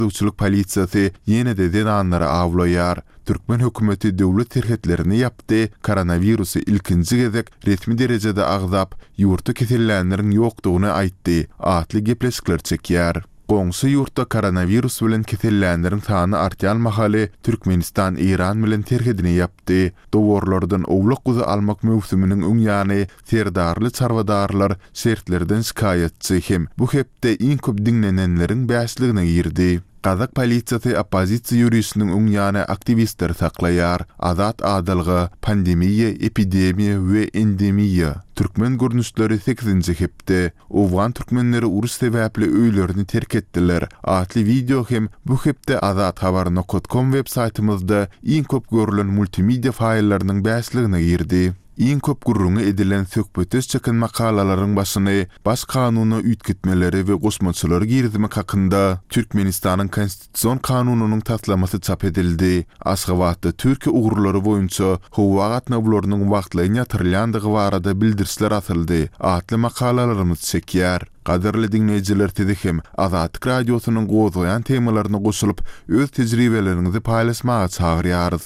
Gözegçilik polisiýasy ýene-de zenanlary awlaýar. Türkmen hökümeti döwlet serhetlerini ýapdy, koronawirusy ilkinji gezek resmi derejede agzap, ýurtda kesellänleriň ýokdugyny aýtdy atly gepleşikler çekýär. Goňşy ýurtda koronawirus bilen kesellänleriň sany artýan mahaly Türkmenistan Eýran bilen serhedini ýapdy. Dowarlardan owlak-guzy almak möwsüminiň öň ýany Serdarly çarwadarlar şertlerden şikaýatçy hem bu hepde iň köp diňlenenleriň bäşligine girdi. Gazak polisiýasy oppozisiýa ýörişiniň öň ýany aktiwistleri saklaýar. Azat adalga, pandemiýa, epidemiýa we endemiýa. Türkmen görnüşleri sekizinji hepde. Owgan türkmenleri uruş sebäpli öýlerini terk etdiler atly wideo hem bu hepde azathabar nokat kom web saýtymyzda iň köp görlen multimedia faýllarynyň bäşligine girdi. Iň köp gürrüňi edilen söhbetdeş çeken makalalaryň başyny Baş kanuna üýtgetmeleri we goşmaçalary girizmek hakynda Türkmenistanyň Konstitusion kanunynyň taslamasy çap edildi. Aşgabatda Türkiýe ugurlary boýunça howa gatnawlarynyň wagtlaýyn ýatyrylýandygy barada bildirişler asyldy atly makalalarymyz çekýär. Gadyrly diňleýjiler sizi hem Azatlyk Radiosynyň gozgaýan temalaryna goşulyp, öz tejribeleriňizi paýlaşmaga çagyrýarys.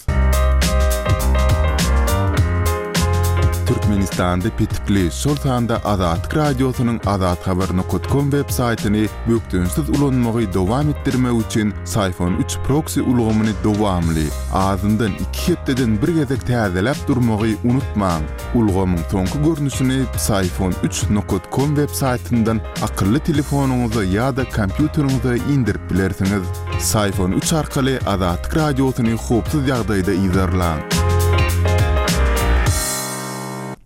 Türkmenistanda petikli, şol sanda Azatlyk Radiosynyň azathabar nokat kom web saýtyny bökdençsiz ulanmagy dowam etdirmek üçin Syfon üç proksi ulgamyny dowamly, azyndan iki hepdeden bir gezek täzeläp durmagy unutmaň! Ulgamyň soňky görnüşini Psiphon üç nokat kom web saýtyndan akylly telefonyňyza ýa-da kompýuteriňize indirip bilersiňiz. Psiphon üç arkaly Azatlyk Radiosyny howpsuz ýagdaýda yzarlaň.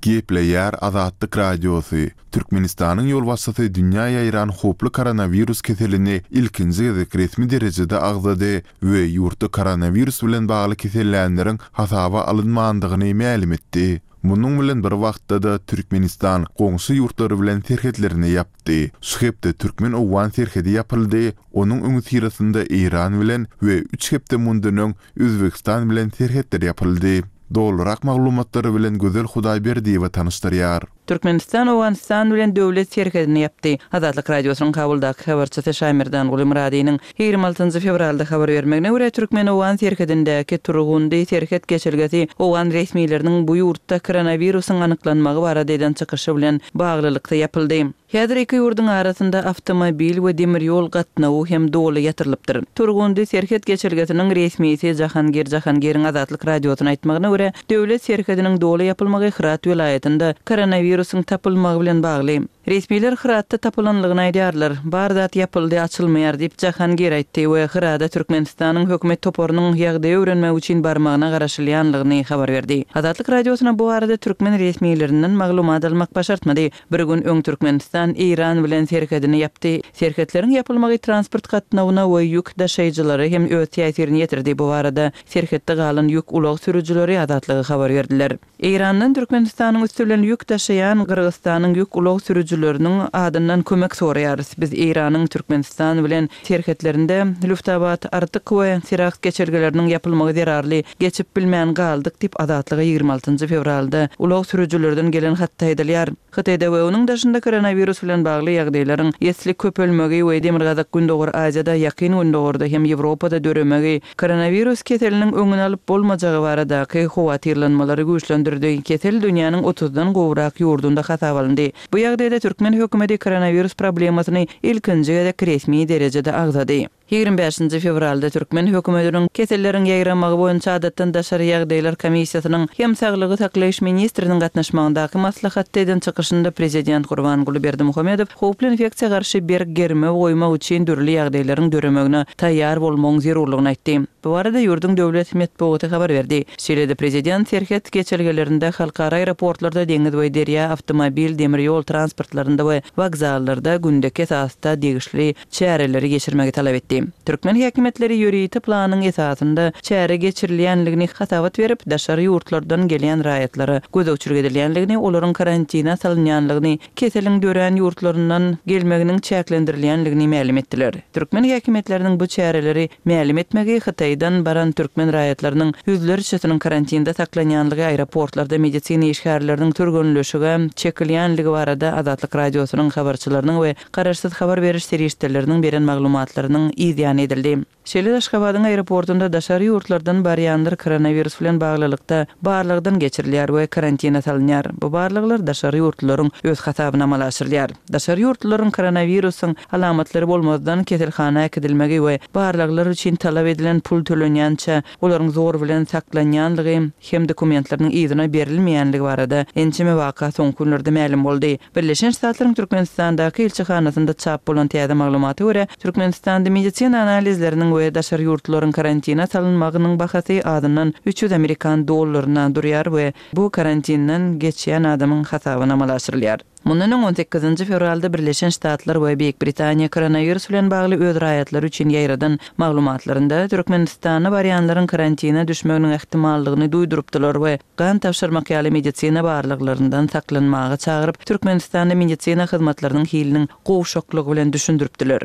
Gepleýär Azatlyk Radiosy, Türkmenistanyň ýolbaşçysy dünýä ýaýran howply koronawirus keselini ilkinji gezek resmi derejede agzady we ýurtda koronawirus bilen bagly kesellänleriň hasaba alynmandygyny mälim etdi. Munuň bilen bir wagtda-da Türkmenistan goňşy ýurtlary bilen serhetlerini ýapdy. Şu hepde türkmen-owgan serhedi ýapyldy, onuň öňüsyrasynda Eýran bilen we üç hepde mundan öň Özbegistan bilen serhetler ýapyldy. Dolurak maglumatlary bilen Gözel Hudaýberdiýewa tanyşdyrýar. Türkmenistan Owganystan bilen döwlet serhedini ýapdy. Azatlyk Radiosynyň Kabuldaky habarçysy Şaýmerdanguly Myradynyň 26 fewralda habar bermegine görä, türkmen-owgan serhedindäki Turgundy serhet geçelgesi owgan resmileriniň bu ýurtda koronawirusyň anyklanmagy barada eden çykyşy bilen baglylykda ýapyldy. Häzir iki ýurduň arasynda awtomobil we demir ýol gatnawy hem doly ýatyrylypdyr. Turgundy serhet geçelgesiniň resmisi Jahangir Jahangiriň Azatlyk Radiosyna aýtmagyna görä, döwlet serhediniň doly ýapylmagy Hyrat welaýatynda koronawirusyň tapylmagy bilen bagly. Resmiler Hyratda tapylanlygyny aýdýarlar. Bar zat ýapyldy, açylmaýar diýip, Jahangir aýtdy we Hyrada Türkmenistanyň hökümet toparynyň ýagdaýy öwrenmek üçin barmagyna garaşylýanlygyny habar berdi. Azatlyk Radiosyna bu barada türkmen resmilerinden maglumat almak başartmady. Bir gün öň Türkmenistan Eýran bilen serhedini ýapdy. Serhetleriň ýapylmagy transport gatnawyna we ýük daşaýjylara hem öz täsirini ýetirdi. Bu barada serhetde galan ýük ulag sürüjileri Azatlyga habar berdiler. Eýrandan Türkmenistanyň üsti bilen ýük daşaýan Gyrgyzystanyň ýük ulag sürüjileriniň adyndan kömek soraýarys. Biz Eýranyň Türkmenistan bilen serhetlerinde Lüftabad, Artyk we Siraks geçelgeleriniň ýapylmagy zerarly geçip bilmän galdyk diýip, Azatlyga 26 fewralda ulag sürüjilerden gelen hatda aýdylýar. Hytaýda we onuň daşynda koronawirus bilen bagly ýagdaýlaryň esli köpelmegi we Demirgazyk-Gündogar Aziýada, Ýakyn Gündogarda hem Ýewropada döremegi koronawirus keseliniň öňüni alyp bolmajagy baradaky howatyrlanmalary güýçlendirdi. Kesel dünýäniň otuzdan gowrak ýurdunda hasaba alyndy. Bu ýagdaýda türkmen hökümeti koronawirus problemasyny ilkinji gezek resmi derejede agzady. 25-nji fewralda türkmen hökümetiniň Keselleriň ýaýramagy boýunça adatdan daşary ýagdaýlar komissiýasynyň hem saglygy saklaýyş ministriniň gatnaşmagyndaky maslahatda eden çykyşynda prezident Gurbanguly Berdimuhamedow howply infeksiýa garşy berk germew goýmak üçin dürli ýagdaýlaryň döremegine taýýar bolmagyň zerurlygyny aýtdy. Bu barada ýurduň döwlet metbugaty habar berdi. Şeýle-de prezident serhet geçelgelerinde, halkara aeroportlarda, deňiz we derýa, awtomobil, demir ýol transportlarynda we wokzallarda gündeki esasda degişli çäreleri geçirmegi talap etdi. Türkmen häkimiýetleri ýörite planyň esasynda çäre geçirilýänligini hasabat berip, daşary ýurtlardan gelýän raýatlara gözegçilik edilýänligini, olaryň karantine salynýanlygyny, keseliň dörän ýurtlaryndan gelmeginiň çäklendirilýänligini mälim etdiler. Türkmen häkimiýetleriniň bu çäreleri mälim etmegi Hytaýdan baran türkmen raýatlarynyň ýüzlerçesiniň karantinde saklanýanlygy, aeroportlarda medisina işgärleriniň türgenleşige çekilýänligi barada Azatlyk Radiosynyň habarçylarynyň we garaşsyz habar beriş serişdeleriniň beren maglumatlarynyň yz. yzýany edildi. Şeýle-de Aşgabadyň aeroportunda daşary ýurtlardan barýanlar koronawirus bilen baglylykda barlagdan geçirilýär we karantina salynýar. Bu barlaglar daşary ýurtlularyň öz hasabyna amala aşyrylýar. Daşary ýurtlularyň koronawirusyň alamatlary bolmazdan keselhana äkidilmegi we barlaglar üçin talap edilen pul tölenýänçä olaryň zor bilen saklanýanlygy hem dokumentleriniň yzyna berilmeýänligi barada ençeme waka soňky günlerde mälim boldy. Birleşen Ştatlaryň Türkmenistandaky ilçihanasynda çap bolan täze maglumata görä, Türkmenistanda medisina analizleriniň we daşary ýurtlularyň karantina salynmagynyň bahasy azyndan 300 amerikan dollaryna durýar we bu karantinden geçýän adamyň hasabyna amala aşyrylýar. Mundan öň, on sekizinji fewralda Birleşen Ştatlar we Beýik Britaniýa koronawirus bilen bagly öz raýatlary üçin ýaýradan maglumatlarynda Türkmenistana barýanlaryň karantina düşmeginiň ähtimallygyny duýdurypdylar we gan tabşyrmak ýaly medisina barlaglaryndan saklanmaga çagyryp, Türkmenistanda medisina hyzmatlarynyň hiliniň gowşaklygy bilen düşündiripdiler.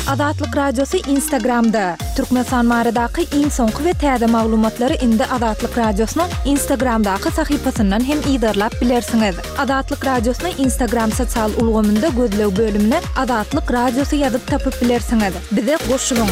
Azatlyk Radiosy Instagramda, Türkmenistan baradaky iň soňky we täze maglumatlary indi Azatlyk Radiosynyň Instagramdaky sahypasyndan hem yzarlap bilersiňiz. Azatlyk Radiosyny Instagram sosial ulgamynda gözleg bölümine Azatlyk Radiosy ýazyp tapyp bilersiňiz. Bize goşulyň!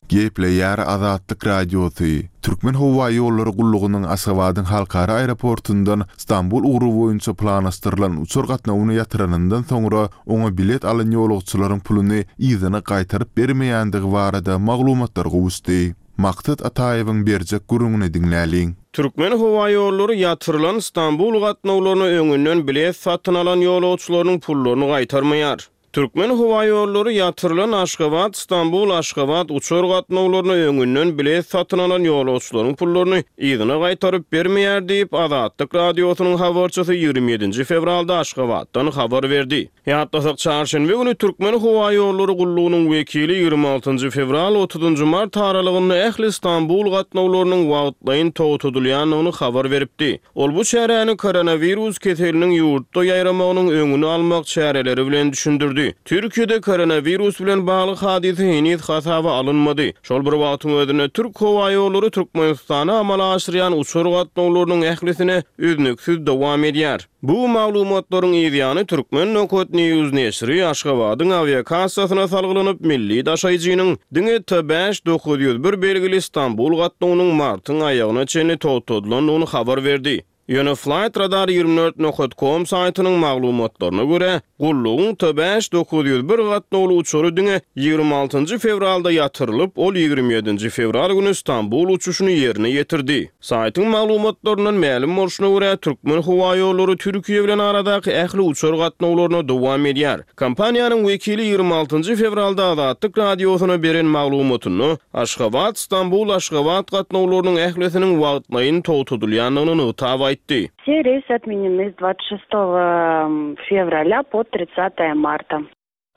Gepleýär Azatlyk Radiosy, Türkmenhowaýollary gullugynyň Aşgabadyň halkara aeroportundan Stambul ugry boýunça planlaşdyrylan uçar gatnawyny ýatyranyndan soňra oňa bilet alan ýolagçylaryň puluny yzyna gaýtaryp bermeýändigi barada maglumatlar gowuşdy. Maksat Ataýewiň berjek gürrüňini diňläliň. Türkmenhowaýollary ýatyrylan Stambul gatnawlaryna öňünden bilet satyn alan ýolagçylarynyň pullaryny gaýtarmaýar. Türkmenhowaýollary ýatyrylan Aşgabat, Stambul, Aşgabat uçar gatnawlaryna öňünden bilet satyn alan ýolagçylaryň pullaryny yzyna gaýtaryp bermeýär diýip, Azatlyk Radiosynyň habarçysy 27 nji fewralda Aşgabatdan habar berdi. Ýatlasak, çarşenbe güni Türkmenhowaýollary gullugynyň wekili 26 njy fewral, 30 njy mart aralygynda ähli Stambul gatnawlarynyň wagtlaýyn togtadylýandygyny habar beripdi. Ol bu çäräni koronawirus keseliniň ýurtda ýaýramagynyň öňüni almak çäreleri bilen düşündirdi. Türkiýede koronawirus bilen bagly hadysa heniz hasaba alynmady. Şol bir wagtyň özünde Türk howaýollary Türkmenistana amala aşyrýan uçar gatnawlarynyň ählisine üznüksiz dowam edýär. Bu maglumatlaryň yzýany Turkmen Nokat News neşiri Aşgabadyň awiakassasyna salgylanyp, milli daşaýjynyň diňe T 5901 belgili Stambul gatnawynyň martyň aýagyna çenli togtadylandygyny habar berdi. Ýöne Flightradar 24 nokat com saýtynyň maglumatlaryna görä, gullugyň T 5901 gatnawly uçary diňe 26 njy fewralda ýatyrylyp, ol 27 nji fewral güni Stambul uçuşyny ýerine ýetirdi. Saýtyň maglumatlaryndan mälim bolşuna görä, Türkmenhowaýollary Türkiýe bilen aradaky ähli uçar gatnawlaryna dowam edýär. Kompaniýanyň wekili 26 njy fewralda Azatlyk Radiosyna beren maglumatynda, Aşgabat, Stambul, Aşgabat gatnawlarynyň ählisiniň wagtlaýyn togtadylýandygyny nygtap aýtdy. Все рейсы отменены с 26 февраля по 30 марта.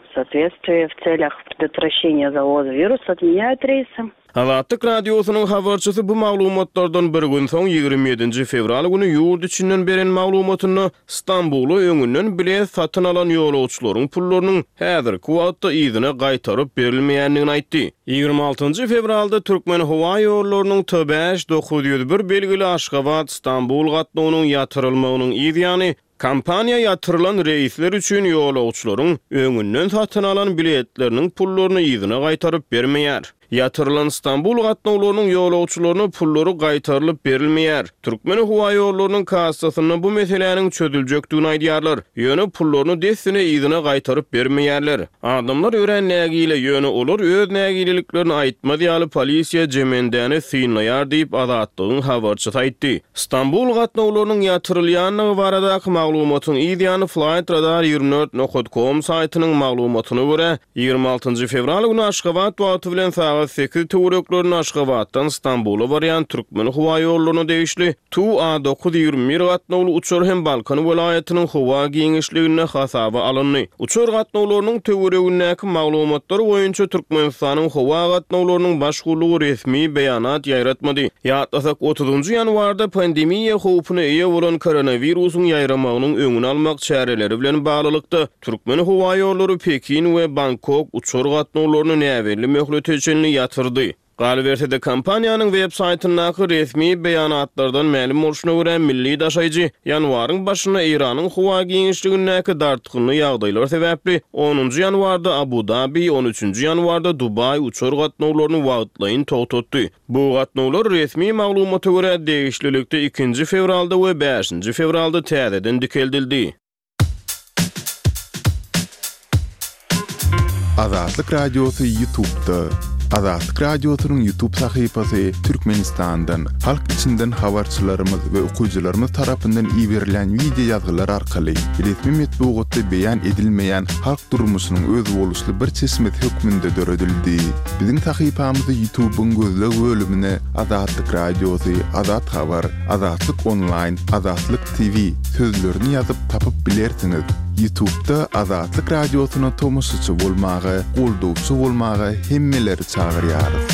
В соответствии в целях предотвращения завоза вируса отменяют рейсы. Azatlyk Radiosynyň habarçysy bu maglumatlardan bir gün soň, 27 nji fewral güni ýurt içinden beren maglumatynda Stambula öňünden bilet satyn alan ýolagçylaryň pullarynyň häzirki wagtda yzyna gaýtaryp berilmeýändigini aýtdy. 26 njy fewralda Türkmenhowaýollarynyň T 5901 belgili Aşgabat, Stambul gatnawynyň ýatyrylmagynyň yz ýany, Kompaniýa ýatyrylan reýsler üçin ýolagçylaryň öňünden satyn alan biletleriniň pullaryny yzyna gaýtaryp bermeýär. Ýatyrylan Stambul gatnawlarynyň ýolagçylaryna pullary gaýtarylyp berilmeýär. Türkmenhowaýollarynyň kassasynda bu meseläniň çözüljekdigini aýdýarlar, ýöne pullaryny dessine yzyna gaýtaryp bermeýärler. Adamlar örän nägile, ýöne olar öz nägileliklerini aýtmaz ýaly polisiýa jemendäni synlaýar diýip, Azatlygyň habarçysy aýtdy. Stambul gatnawlarynyň ýatyrylýandygy baradaky maglumatyň yz ýany Flightradar 24 nokat com saýtynyň maglumatyna görä, 26 njy fewral güni Aşgabat wagty bilen sagat sekiz töwereklerinde Aşgabatdan Stambula barýan Türkmenhowaýollaryna degişli Tu A 921 gatnawly uçar hem Balkan welaýatynyň howa giňişliginde hasaba alyndy. Uçar gatnawlarynyň töweregindäki maglumatlar boýunça Türkmenistanyň howa gatnawlarynyň baş gullugy resmi beýanat ýaýratmady. Ýatlasak, otuzynjy ýanwarda pandemiýa howpuna eýe bolan koronawirusyň ýaýramagynyň öňüni almak çäreleri bilen baglylykda, Türkmenhowaýollary Pekin we Bangkok uçar gatnawlaryny näbelli möhlete çenli ýatyrdy. Galyberse-de, kompaniýanyň web saýtyndaky resmi beýanatlardan mälim bolşuna görä, milli daşaýjy ýanwaryň başynda Eýranyň howa giňişligindäki dartgynly ýagdaýlar sebäpli onunjy ýanwarda Abu-Dabi, on üçünji ýanwarda Dubaý uçar gatnawlaryny wagtlaýyn togtatdy. Bu gatnawlar, resmi maglumata görä, degişlilikde ikinji fewralda we bäşinji fewralda täzeden dikeldildi. Azatlyk Radiosy Ýutubda. Azatlyk Radiosynyň Ýutub sahypasy Türkmenistandan, halk içinden habarçylarymyz we okyjylarymyz tarapyndan iberilýän wideo ýazgylar arkaly resmi metbugatda beýan edilmeýän halk durmuşynyň özboluşly bir çeşmesi hökmünde döredildi. Biziň sahypamyzy Ýutubyň gözleg bölümine Azatlyk Radiosy, Azat Habar, Azatlyk Onlaýn, Azatlyk TV sözlerini ýazyp tapyp bilersiňiz. Ýutubda Azatlyk Radiosyna tomaşaçy bolmaga, goldawçy bolmaga hemmeleri çagyrýarys.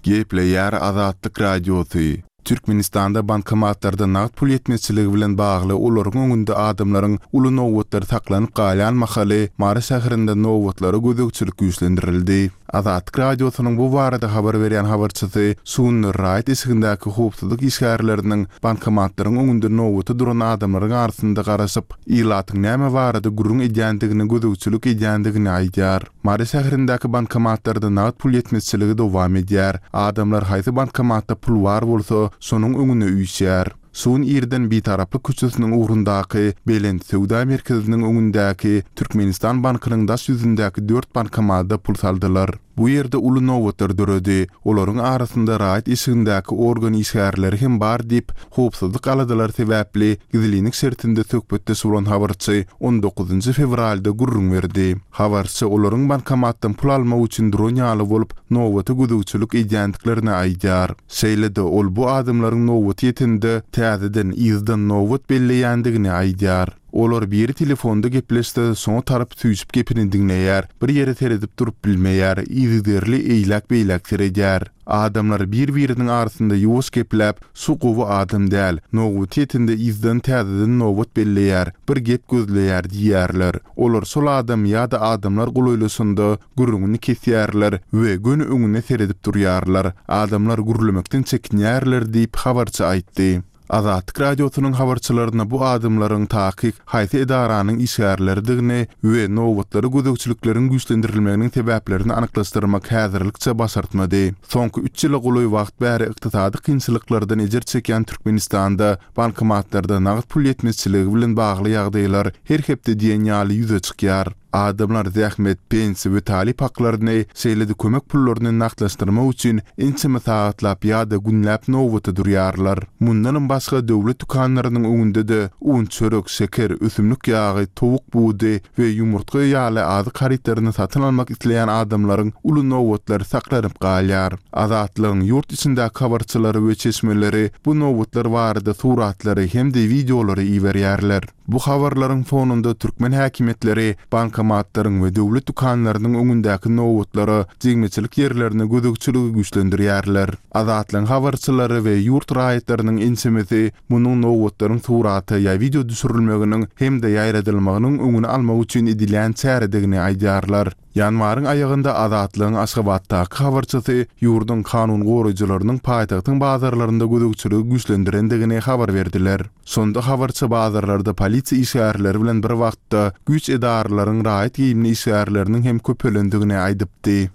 Gepleýär Azatlyk Radiosy, Türkmenistanda bankomatlarda nagt pul ýetmezçiligi bilen bagly olaryň öňünde adamlaryň uly nobatlary saklanyp galýan mahaly Mary şäherinde nobatlara gözegçilik güýçlendirildi. Azatlyk Radiosynyň bu barada habar berýän habarçysy şu günler raýat eşigindäki howpsuzlyk işgärleriniň bankomatlaryň öňünde nobata duran adamlaryň arasynda garaşyp, ilatyň näme barada gürrüň edýändigine gözegçilik edýändigini aýdýar. Mary şäherindäki bankomatlarda nagt pul ýetmezçiligi dowam edýär. Adamlar haýsy bankomatda pul bar bolsa, şonuň öňüne üýşýär. Şu gün irden Bitaraplyk köçesiniň ugrundaky Belent söwda merkeziniň öňündäki Türkmenistan bankynyň daş ýüzündäki dört bankomada pul saldylar. Bu ýerde uly nobatlar döredi. Olaryň arasynda raýat eşigindäki organ işgärleri hem bar diýip, howpsuzlyk aladalary sebäpli gizlinlik şertinde söhbetdeş bolan habarçy on dokuzynjy fewralda gürrüň berdi. Habarçy olaryň bankomatdan pul almak üçin duran ýaly bolup, nobata gözegçilik edýändiklerini aýdýar. Şeýle-de ol bu adamlaryň nobaty ýetende täzeden yzdan nobat belleýändigini aýdýar. Olar biri telefonda gepleşse, şoňa tarap süýşüp gepini diňleýär, bir ýere seredip durup bilmeýär, yzygiderli eýläk-beýläk seredýär. Adamlar bir-biriniň arasynda ýuwaş gepläp, Şu gowy adam däl, nobaty ýetende yzdan täzeden nobat belleýär, bir gep gözleýär diýýärler. Olar şol adam ýa-da adamlar golaýlaşanda gürrüňini kesýärler we göni öňüne seredip durýarlar. Adamlar gürlemekden çekinýärler diýip, habarçy aýtdy. Azatlyk Radiosynyň habarçylaryna bu adamlaryň takyk haýsy edaranyň işgärleridigini we nobatlara gözegçilikleriň güýçlendirilmeginiň sebäplerini anyklaşdyrmak häzirlikçe başartmady. Soňky üç ýyla golaý wagt bäri ykdysady kynçylyklardan ejir çekýän Türkmenistanda bankomatlarda nagt pul ýetmezçiligi bilen bagly ýagdaýlar her hepde diýen ýaly ýüze çykýar. Adamlar zähmet, pensiýa we talyp haklaryny, şeýle-de kömek pullaryny nagtlaşdyrmak üçin ençeme sagatlap ýa-da günläp nobata durýarlar. Mundanam başga döwlet dükanlarynyň öňünde-de un, çörek, şeker, ösümlik ýagy, towuk budy we ýumurtga ýaly azyk harytlaryny satyn almak isleýän adamlaryň uly nobatlary saklanyp galýar. Azatlygyň ýurt içindäki habarçylary we çeşmeleri bu nobatlar barada suratlary hem-de wideolary iberýärler. Bu habarlaryň fonunda türkmen häkimiýetleri bankomatlaryň we döwlet dükanlarynyň öňündäki nobatlara, jigmeçilik ýerlerine gözegçiligi güýçlendirýärler. Azatlygyň habarçylary we ýurt raýatlarynyň ençemesi munuň nobatlaryň surata ýa wideo düşürilmeginiň hem-de ýaýradylmagynyň öňüni almak üçin edilýän çäredigini aýdýarlar. Ýanwaryň aýagynda Azatlygyň Aşgabatdaky habarçysy ýurduň kanun goraýjylarynyň paýtagtyň bazarlarynda gözegçiligi güýçlendirendigini habar berdiler. Şonda habarçy bazarlarda polisiýa işgärleri bilen bir wagtda güýç edaralaryň raýat geýimli işgärleriniň hem köpelendigini aýdypdy.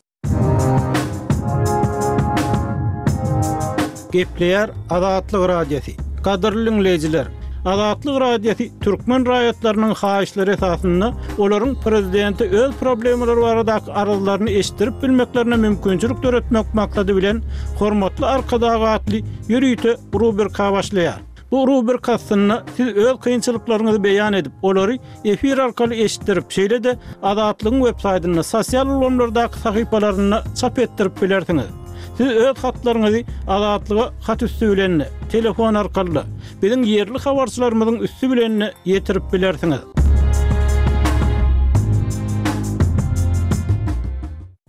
Gepleýär Azatlyk Radiosy. Gadyrly diňleýjiler! Azatlyk Radiosy türkmen raýatlarynyň haýyşlary esasynda olaryň prezidente öz problemalary baradaky arzlaryny eşitdirip bilmeklerine mümkinçilik döretmek maksady bilen Hormatly Arkadag atly ýörite rubrika başlaýar. Bu rubrika astynda siz öz kynçylyklaryňyzy beýan edip, olary efir arkaly eşitdirip, şeýle-de Azatlygyň websaýtynda, sosial ulgamlardaky sahypalarynda çap etdirip bilersiňiz. Siz öz hatlaryňyzy Azatlyga hat üsti bilen-de, telefon arkaly-da, biziň ýerli habarçylarymyzyň üsti bilen-de ýetirip bilersiňiz.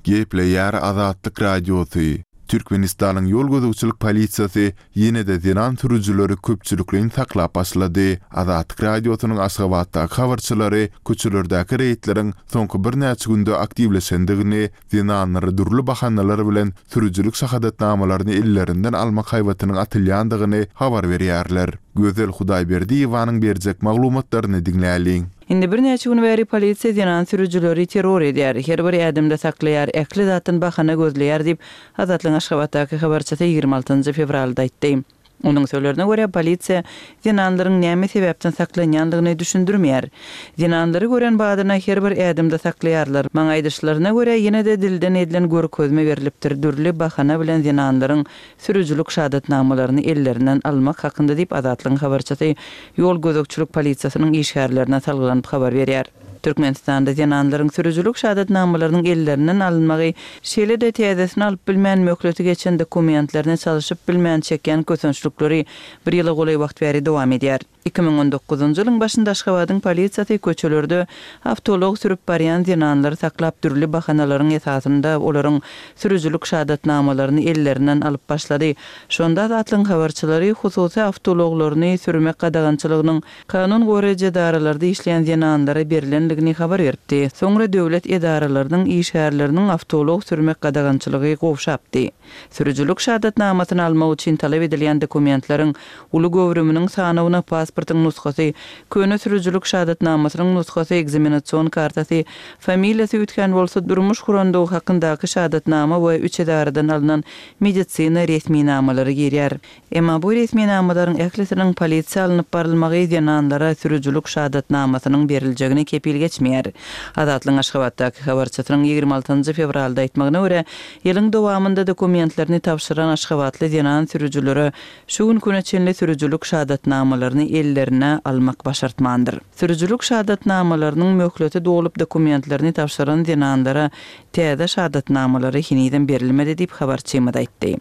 Gepleýär Azatlyk Radiosy. Türkmenistanyň ýol gözegçilik polisiýasy ýene-de zenan sürüjileri köpçülikleýin saklap başlady. Azatlyk Radiosynyň Aşgabatdaky habarçylary köçelerdäki reýdleriň soňky birnäçe günde aktiwleşendigini, zenanlara dürli bahanalar bilen sürüjilik şahadatnamalaryny ellerinden almak haýbatynyň atylýandygyny habar berýärler. Gözel Hudaýberdiýewanyň berjek maglumatlaryny diňläliň. Indi birnäçe gün bäri polisiýa zenan sürüjileri terror edýär, her bir ädimde saklaýar, ähli zatdan bahana gözleýär diýip, Azatlygyň Aşgabatdaky habarçysy 26 fewralda aýtdy. Onuň sözlerine görä, polisiýa zenanlaryň näme sebäpden saklanýandygyny düşündirmeýär. Zenanlary gören badyna her bir ädimde saklaýarlar. Maňa aýdyşlaryna görä, ýene-de dilden edilen görkezme berlipdir, dürli bahana bilen zenanlaryň sürüjilik şahadatnamalaryny ellerinden almak hakynda diýip, Azatlygyň habarçysy ýol gözegçilik polisiýasynyň işgärlerine salgylanyp habar berýär. Türkmenistanda zenanlaryň sürüjilik şahadatnamalarynyň ellerinden alynmagy, şeýle-de täzesini alyp bilmän möhleti geçen dokumentlerini çalşyp bilmän çekýän kösençlikleri bir ýyla golaý wagt bäri dowam edýär. 2019-njy ýylyň başynda Aşgabadyň polisiýasy köçelerde awtoulag sürüp barýan zenanlary saklap, dürli bahanalaryň esasynda olaryň sürüjilik şahadatnamalaryny ellerinden alyp başlady. Şonda Azatlygyň habarçylary hususy awtoulaglaryny sürmek gadagançylygynyň kanun goraýjy edaralarda işleýän zenanlara berlendigini habar beripdi. Soňra döwlet edaralarynyň işgärleriniň awtoulag sürmek gadagançylygy gowşapdy. Sürüjilik şahadatnamasyny almak üçin talap edilýän dokumentleriň uly göwrüminiň sanawyna pasportyň nusgasy, köne sürüjilik şahadatnamasynyň nusgasy, ekzamenasion kartasy, familiýasy üýtgän bolsa, durmuş gurandygy hakyndaky şahadatnama we üç edaradan alnan medisina resminamalary girýär. Emma bu resminamalaryň ählisiniň polisiýa alnyp barylmagy zenanlara sürüjilik şahadatnamasynyň beriljegine kepil geçmeýär. Azatlygyň Aşgabatdaky habarçysynyň 26 njy fewralda aýtmagyna görä, ýylyň dowamynda dokumentlerini tabşyran aşgabatly zenan sürüjilere şu günki güne çenli sürüjilik şahadatnamalaryny ellerine almak başartmandyr. Sürüjilik şahadatnamalarynyň möhleti dolup dokumentlerini tabşyran zenanlara täze şahadatnamalary henizem berilmedi diýip, habarçymyz aýtdy.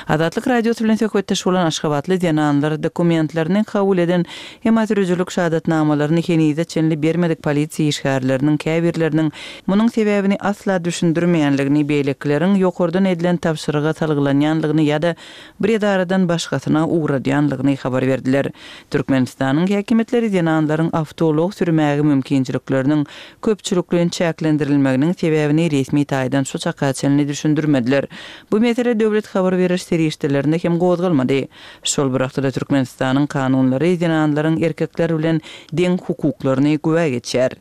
Azatlyk Radiosy bilen söhbetdeş bolan aşgabatly zenanlar dokumentlerini kabul eden, emma sürüjilik şahadatnamalaryny henize çenli bermedik polisiýa işgärleriniň käbirleriniň munuň sebäbini asla düşündirmeýänligini, beýlekileriň ýokardan edilen tabşyryga salgylanýanlygyny ýa-da bir edaradan başgasyna ugradýanlygyny habar berdiler. Türkmenistanyň häkimiýetleri zenanlaryň awtoulag sürmäge mümkinçilikleriniň köpçülikleýin çäklendirilmeginiň sebäbini resmi taýdan şu çaka çenli düşündirmediler. Bu mesele döwlet habar beriş serişdelerinde hem gozgalmady. Şol bir wagtda-da Türkmenistanyň kanunlary zenanlaryň erkekler bilen deň hukuklaryny güwä geçýär.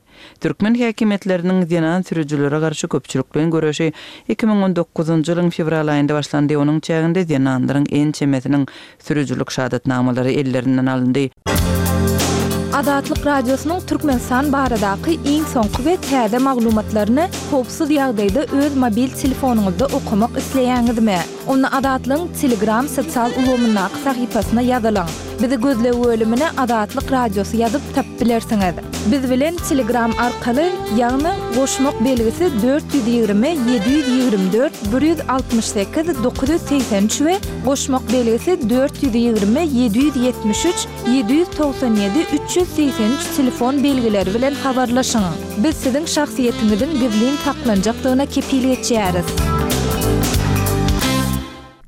Türkmen häkimiýetleriniň zenan sürüjilere garşy köpçülikleýin göreşi 2019-njy ýylyň fewral aýynda başlandy, onuň çäginde zenanlaryň ençemesiniň Sürüjilik şahadatnamalary ellerinden alyndy. Azatlyk Radiosynyň Türkmenistan baradaky iň soňky we täze maglumatlaryny howpsuz ýagdaýda öz mobil telefonyňyzda okamak isleýäňizmi? Onda Azatlygyň Telegram sosial ulgamyndaky sahypasyna ýazylyň. Bizi gözleg bölümine Azatlyk Radiosy ýazyp tapyp bilersiňiz. Biz bilen Telegram arkaly, ýagny goşmak belgisi 420 724 168 983 we goşmak belgisi 420 773 797 383 telefon belgileri bilen habarlaşyň. Biz siziň şahsyýetiňiziň gizlin saklanjakdygyna kepil geçýäris.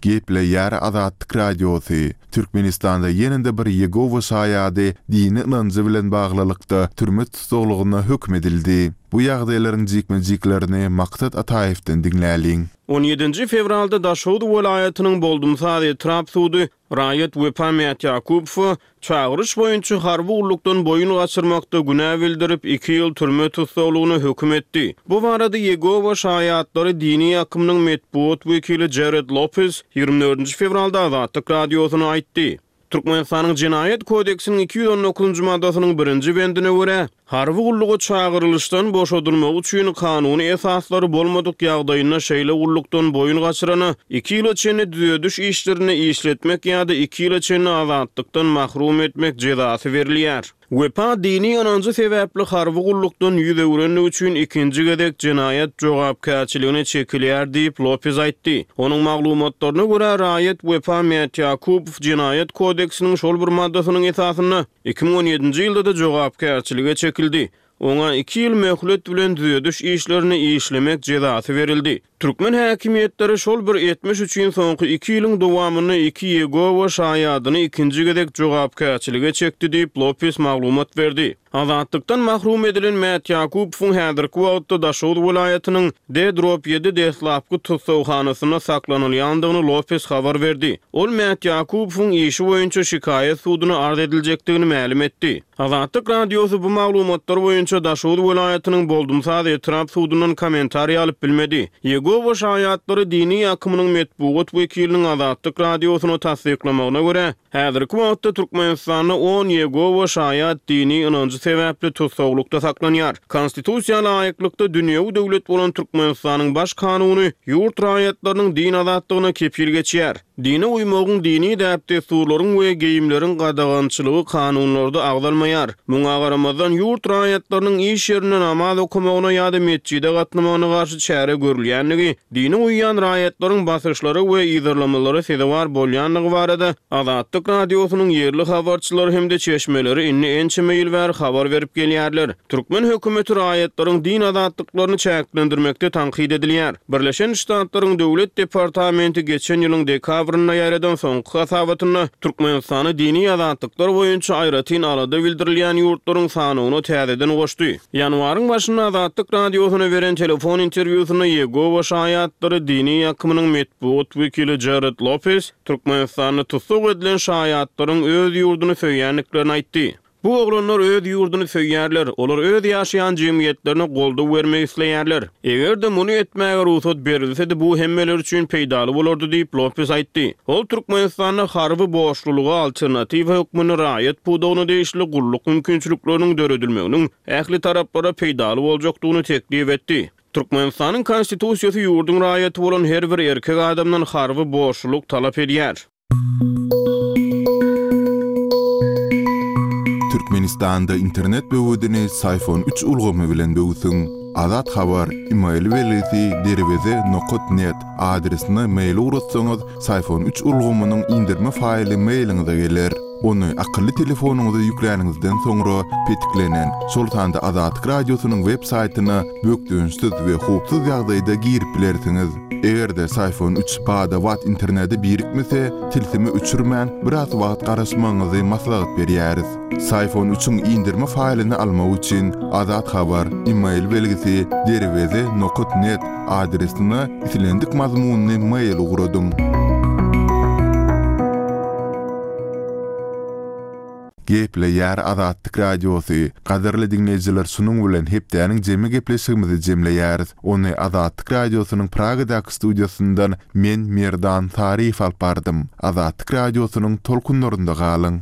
Gepleýär Azatlyk Radiosy, Türkmenistanda ýene-de bir Ýegowa şaýady dini ynanjy bilen baglylykda türme tussaglygyna höküm edildi. Bu ýagdaýlaryň jikme-jiklerini Maksat Ataýewden diňläliň. On ýedinji fewralda Daşoguz welaýatynyň Boldumsaz etrap sudy raýat Wepa Mätýakubowa Çagyryş boýunça harby gullukdan boýun gaçyrmakda günä bildirip, iki ýyl türme tussaglygyna höküm etdi. Bu barada Ýegowa şaýatlary dini akymynyň metbugat wekili Jared Lopez ýigrimi dördünji fewralda Azatlyk Radiosyna aýtdy. Türkmenistanyň Jenaýat kodeksiniň 219-njy maddasynyň birinji bendine görä, Harby gulluga çagyrylyşdan boşadylmagy üçin kanuny esaslary bolmadyk ýagdaýynda şeýle gullukdan boýun gaçyrana iki ýyla çenli düzediş işlerinde işletmek ýa-da iki ýyla çenli azatlykdan mahrum etmek jezasy berilýär. Wepa dini ynanjy sebäpli harby gullukdan ýüz öwrendigi üçin ikinji gezek jenaýat jogapkärçiligine çekilýär diýip, Lopez aýtdy. Onuň maglumatlaryna görä, raýat Wepa Mätýakubow Jenaýat kodeksiniň şol bir maddasynyň esasynda 2017-nji ýylda-da jogapkärçilige çekildi. Oňa iki ýyl möhlet bilen düzediş işlerini işlemek jezasy berildi. Türkmen häkimiýetleri şol bir etmiş üçin soňky iki ýylyň dowamynda iki Ýegowa şaýadyny ikinji gezek jogapkärçilige çekdi diýip, Lopes maglumat berdi. Azatlykdan mahrum edilen Mätýakubowyň häzirki wagtda Daşoguz welaýatynyň D-ýedi deslapky tussaghanasynda saklanylýandygyny Lopes habar berdi. Ol Mätýakubowyň işi boýunça şikaýat suduna arz ediljekdigini mälim etdi. Azatlyk Radiosy bu maglumatlar boýunça Daşoguz welaýatynyň Boldumsaz etrap sudundan kommentariý alyp bilmedi. Ýegowa şaýatlary dini akymynyň metbugat wekiliniň Azatlyk Radiosyna tassyklamagyna görä, häzirki wagtda Türkmenistanda on Ýegowa şaýat dini ynanjy sebäpli tussaglykda saklanýar. Konstitusiýa laýyklykda dünýewi döwlet bolan Türkmenistanyň Baş kanuny ýurt raýatlarynyň din azatlygyna kepil geçýär. Dine uýmagyň, dini däp-dessurlaryň we geýimleriň gadagançylygy kanunlarda agzalmaýar. Muňa garamazdan, ýurt raýatlarynyň iş ýerinde namaz okamagyna ýa-da metjide gatnamagyna garşy çäre görülýändigi, dine uýýan raýatlaryň basyşlara we yzarlamalara sezewar bolýandygy barada Azatlyk Radiosynyň ýerli habarçylary hem-de çeşmeleri indi ençeme ýyl bäri habar berip gelýärler. Türkmen hökümeti raýatlaryň din azatlyklaryny çäklendirmekde tankyt edilýär. Birleşen Ştatlaryň Döwlet departamenti geçen ýylyň dekabrynda ýaýradan soňky hasabatynda Türkmenistany dini azatlyklar boýunça aýratyn alada bildirilýän ýurtlaryň sanawyna täzeden goşdy. Ýanwaryň başynda Azatlyk Radiosyna beren telefon interwýusynda Ýegowa şaýatlary dini akymynyň metbugat wekili Jared Lopes Türkmenistanda tussag edilen şaýatlaryň öz ýurduny söýýändiklerini aýtdy. Bu oglanlar öz ýurduny söýýärler, olar öz ýaşaýan jemgyýetlerine goldaw bermek isleýärler. Eger-de muny etmäge rugsat berilsedi, bu hemmeler üçin peýdaly bolardy diýip, Lopes aýtdy. Ol Türkmenistanda harby borçlulyga alternatiwa hökmünde raýat pudagyna degişli gulluk mümkinçilikleriniň döredilmeginiň ähli taraplara peýdaly boljakdygyny teklip etdi. Türkmenistanyň Konstitusiýasy ýurduň raýaty bolan her bir erkek adamdan harby borçlulyk talap edýär. Türkmenistanda internet böwedini Syfon üç ulgamy bilen böwsüň. Azat Habar, email belgisi derweze nokat net adresine mail ugratsaňyz, Syfon üç ulgamynyň indirme faýly mailiňize geler. Ony akylly telefonyňyza ýükläniňizden soňra petiklenen, şol sanda Azatlyk Radiosynyň web saýtyna bökdençsiz we howpsuz ýagdaýda girip bilersiňiz. Eger-de Syfon üç bada-bat internete birikmese, tilsimi öçürmän, biraz wagt garaşmagyňyzy maslahat berýäris. Syfon üçiň indirme faýlyny almak üçin Azat Habar, email belgisi, derweze nokat net adresine islendik mazmunly mail ugradyň. Gepleýär Azatlyk Radiosy, Gadyrly diňleýjiler şunuň bilen hepdäniň jemi gepleşigimizi jemleýäris. Ony Azatlyk Radiosynyň Pragadaky studiýasyndan men Merdan Saryýew alyp bardym. Azatlyk Radiosynyň tolkunlarynda galyň.